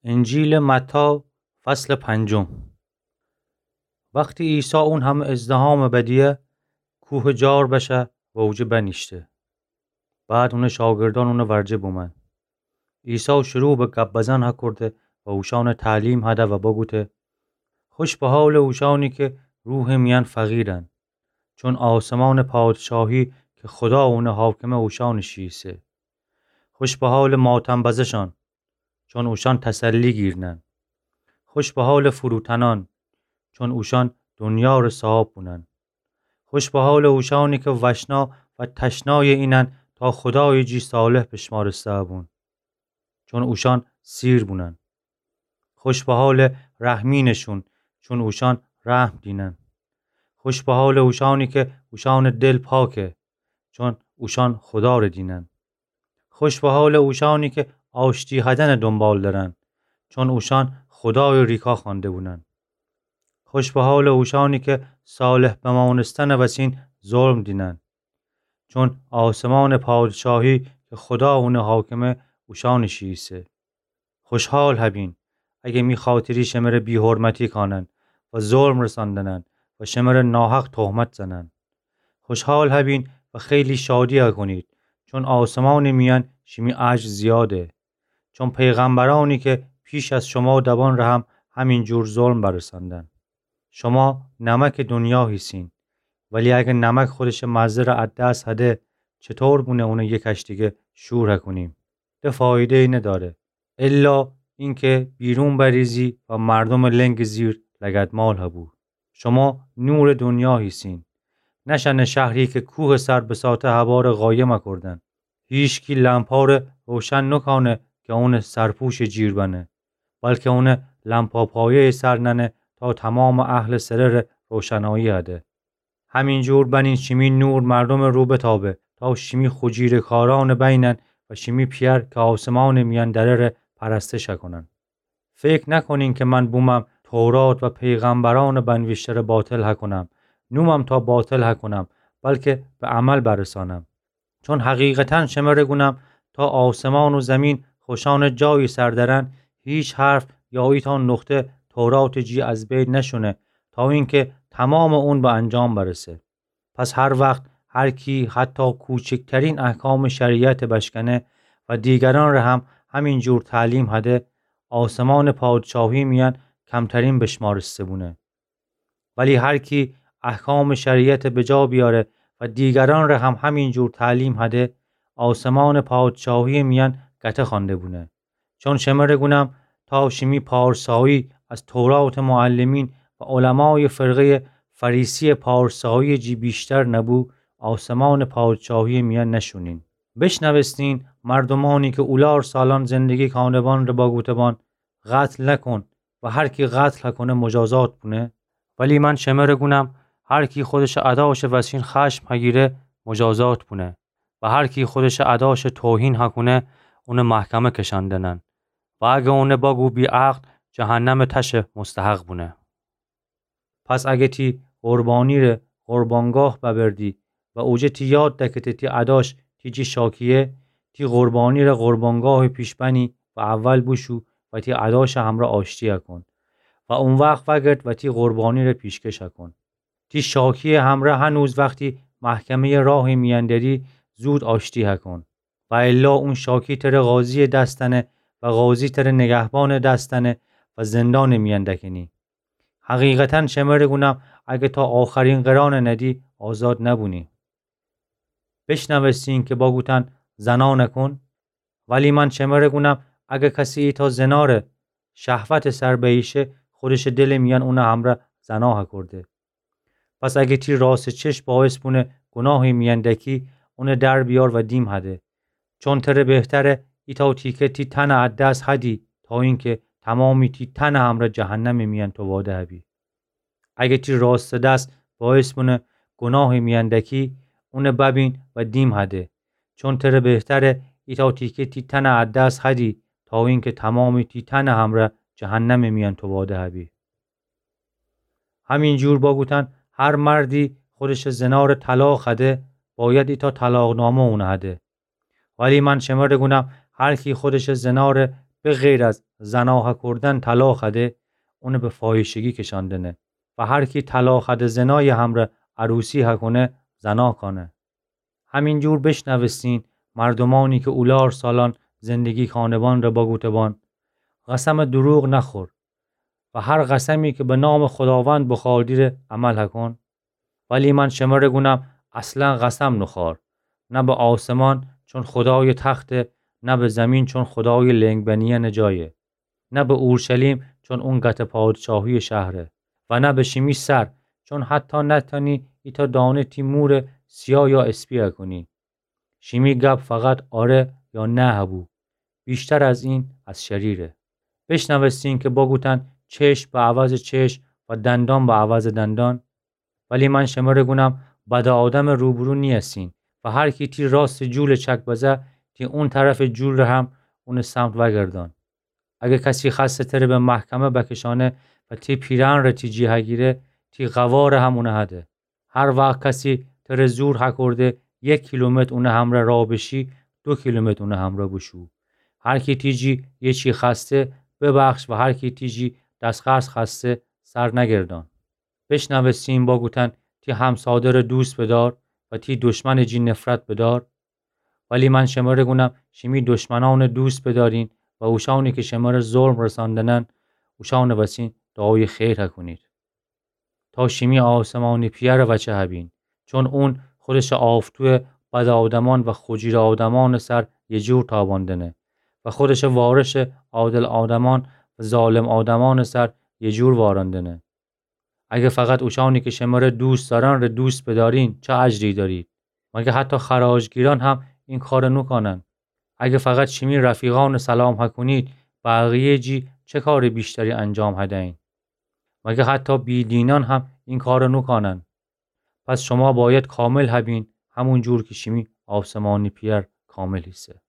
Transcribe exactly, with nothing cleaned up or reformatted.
انجیلٚ متی، فصلٚ پنجم. وختی عیسی اون همه ازدحامٚ بدیه، کوهٚ جار بشه و اوجه بنیشته. بعد اونٚ شاگردأن اونٚ ورجه بومأن. عیسی شروع به گب بزن هکورده و اوشأنٚ تعلیم هده و بگوته: خوش به حالٚ اوشأنی که روحٚ میأن فقیرن، چون آسمانٚ پادشاهی که خودا اونٚ حاکمه اوشأنٚ شی ایسه. خوش به حالٚ ماتم بزشأن، چون اوشأن تسلی گیرنن. خوش به حالٚ فروتنأن، چون اوشأن دنیا ره صاحاب بونن. خوش به حالٚ اوشأنی که وشنا و تشنایٚ اینن تا خودایٚ جی صالح بشمارسته بون، چون اوشأن سیر بونن. خوش به حالٚ رحمینٚ شون، چون اوشأن رحم دینن. خوش به حالٚ اوشأنی که اوشأنٚ دل پاکه، چون اوشأن خودا ره دینن. خوش به حالٚ اوشأنی که آشتی هدنٚ دونبال درن، چون اوشأن خودایٚ ریکا خوأنده بونن. خوش به حالٚ اوشأنی که صالح بمانستنٚ وسین ظلم دینن، چون آسمانٚ پادشاهی که خودا اونٚ حاکمه اوشأنٚ شی ایسه. خوشحال هبین اگه می خاطری شمره بی‌حرمتی کانن و ظلم رساندنن و شمره ناحق تهمت زنن. خوشحال هبین و خیلی شادی هکونید، چون آسمانٚ میأن شیمی اجر زیاده. چون پیغمبرأنی که پیش از شما دبان ره هم همین جور ظلم برساندن. شما نمکٚ دنیا هیسین، ولی اگه نمک خودشٚ مزه ره از دس هده، چطور بونه اونه یکشتیگه شور هکونیم؟ ده فایده‌یی نداره، الا اینکه بیرون بریزی و مردومٚ لنگٚ زیر لگدمال هبو. شما نورٚ دنیا هیسین. نشأنه شهری که کوهٚ سر بساطه هباره قایم هکردن. هیچکی لمپا ره روشن نکانه که اونٚ سرپوشٚ جیر بنه، بلکه اونه لمپاپایه‌یٚ سر ننه تا تمامٚ اهلٚ سره ره روشنایی هده. همین جور بنین شیمی نور مردومٚ رو بتابه، تا شیمی خو جیرٚ کارأنٚ بینن و شیمی پئر که آسمانٚ میأن دره ره پرستش هکونن. فکر نکنین که من بومم تورات و پیغمبرأنٚ بنویشته ره باطل هکونم، نومم تا باطل هکونم، بلکه به عمل برسانم. چون حقیقتاً شمره گونم، تا آسمان و زمین خوشأنٚ جایی سر درن، هیچ حرف یا ایتأ نقطه توراتٚ جی از بین نشونه، تا اینکه تمامٚ اون به انجام برسه. پس هر وخت هر کی حتی کوچکترین احکامٚ شریعت بشکنه و دیگرأن ره هم همین جور تعلیم هده، آسمانٚ پادشاهی میأن کمترین بشمارسته بونه. ولی هر کی احکامٚ شریعت بجا بیاره و دیگرأن ره هم همین جور تعلیم هده، آسمانٚ پادشاهی میأن گته خوأنده بونه. چون شمره گونم، تا شیمی پارسایی از توراتٚ معلمین و علمایٚ فرقه‌یٚ فریسیٚ پارسایی جی بیشتر نبو، آسمانٚ پادشاهیٚ میأن نشونین. بشنوستین مردومأنی که اولار سالأن زندگی کانه‌بان ره باگوته‌بان: قتل نکن و هر کی قتل هکونه مجازات بونه. ولی من شمره گونم، هر کی خودشٚ اداشٚ وسین خشم هگیره مجازات بونه و هر کی خودشٚ اداشٚ توهین هکونه اونه محکمه کشأن دنن و اگه اونه باگو بی‌عقل، جهنمٚ تشٚ مستحق بونه. پس اگه تی قربانی ره قربانگاه ببردی و اوجه تی یاد دکته تی اداش تی جی شاکیه، تی قربانی ره قربانگاهٚ پیش بنی و اول بوشو و تی اداشٚ همرأ آشتی هکون و او وخت وگرد و تی قربانی ره پیشکش هکون. تی شاکیٚ همرأ هنوز وختی محکمه‌یٚ راهٚ میأن دری، زود آشتی هکون. و الا اون شاکی تره قاضیٚ دس دنه و قاضی تره نگهبانٚ دس دنه و زندانٚ میأن دکنی. حقیقتاً شمره گونم، اگه تا آخرین قرأنٚ ندی، آزاد نبونی. بشنوستین که باگوتن: زنا نکن. ولی من شمره گونم، اگه کسی ایتأ زنا ره شهوتٚ سر بییشه، خودشٚ دلٚ میأن اونٚ همرأ زنا هکرده. پس اگه تی راستٚ چشم باعث بونه گوناهٚ میأن دکی، اونه در بیار و دیم هده. چون تره بهتره ایتأ تیکه تی تنٚ از دس هدی، تا اینکه تمامی تی تنٚ همرأ جهنمٚ میأن توباده هبی. اگه تی راستٚ دس باعث بونه گوناهٚ میأن دکی، اونه ببین و دیم هده. چون تره بهتره ایتأ تیکه تی تنٚ از دس هدی، تا اینکه تمامی تی تنٚ همرأ جهنمٚ میأن توباده هبی. همین جور باگوتن، هر مردی خودشٚ زنا ره طلاق هده، باید ایتأ طلاقنامه اونه هده. ولی من شمره گونم، هر کی خودشٚ زنا ره به غیر از زنا هکردن طلا خوأده، اونَ به فاحشگی کشاندنه. و هر کی طلا خوأده زنایٚ همرأ عروسی هکونه، زنا کانه. همینجور بشنوستین مردومأنی کی اولار سالأن زندگی کانه‌بان ره بگوته‌بان: قسمٚ دروغ نخور و هر قسمی کی به نامٚ خوداوند بوخوردی ره عمل هکون. ولی من شمره گونم، اصلاً قسم نوخور، نه به آسمان، چون خودایٚ تخته، نه به زمین، چون خودایٚ لنگ بنیأنٚ جایه، نه به اورشلیم، چون اون قطع پادشاهیٚ شهره، و نه به شیمی سر، چون حتی نتأنی ایتأ دانه تی موره سیا یا اسپی هکونی. شیمی گب فقط آره یا نه هبو. ویشتر از این از شریره. بشنوستین کی بگوتن: چشم به عوضٚ چشم و دندان به عوضٚ دندان. ولی من شمره گونم، بدٚ آدمٚ روبرو نیأستین و هر کی تی راستٚ جولٚ چک بزه، تی اون طرفٚ جول ره هم اونٚ سمت وأگردان. اگر کسی خوأسته تره به محکمه بکشأنه و تی پیرهن ره تی جی هگیره، تی قواره هم اونه هده. هر وخت کسی تره زور هکرده یک کیلومتر اونٚ همرأ راه بشی، دو کیلومتر اونٚ همرأ بوشو. هر کی تی جی یه چی خوأسته، ببخش و هر کی تی جی دست‌قرض خوأسته، سر نگردان. بشنوستین بگوتن: تی همسادره دوست بدار و تی دشمنٚ جی نفرت بدار. ولی من شمره گونم، شیمی دشمنأنه دوست بدارین و اوشأنی کی شمره ظلم رساندنن، اوشأنٚ وسین دعایٚ خیر هکونید. تا شیمی آسمانی پیأره وچه هبین، چون اون خودشٚ آفتویٚ بدٚ آدمأن و خوجیره آدمأنٚ سر یه جور تاباندنه و خودشٚ وارشٚ عادل آدمأن و ظالم آدمأنٚ سر یه جور واراندنه. اگه فقط اوشأنی کی شمره دوست دارن ره دوست بدارین، چه اجری دارید؟ مگه حتی خراجگیرأن هم این کاره نوکونن؟ اگه فقط شیمی رفیقأنٚ سلام هکونید، بقیه‌یٚ جی چه کارٚ بیشتری انجام هدأیین؟ مگه حتی بی‌دینأن هم این کاره نوکونن؟ پس شما باید کامل هبین، همون جور کی شیمی آسمانی پیأر کامل ایسه.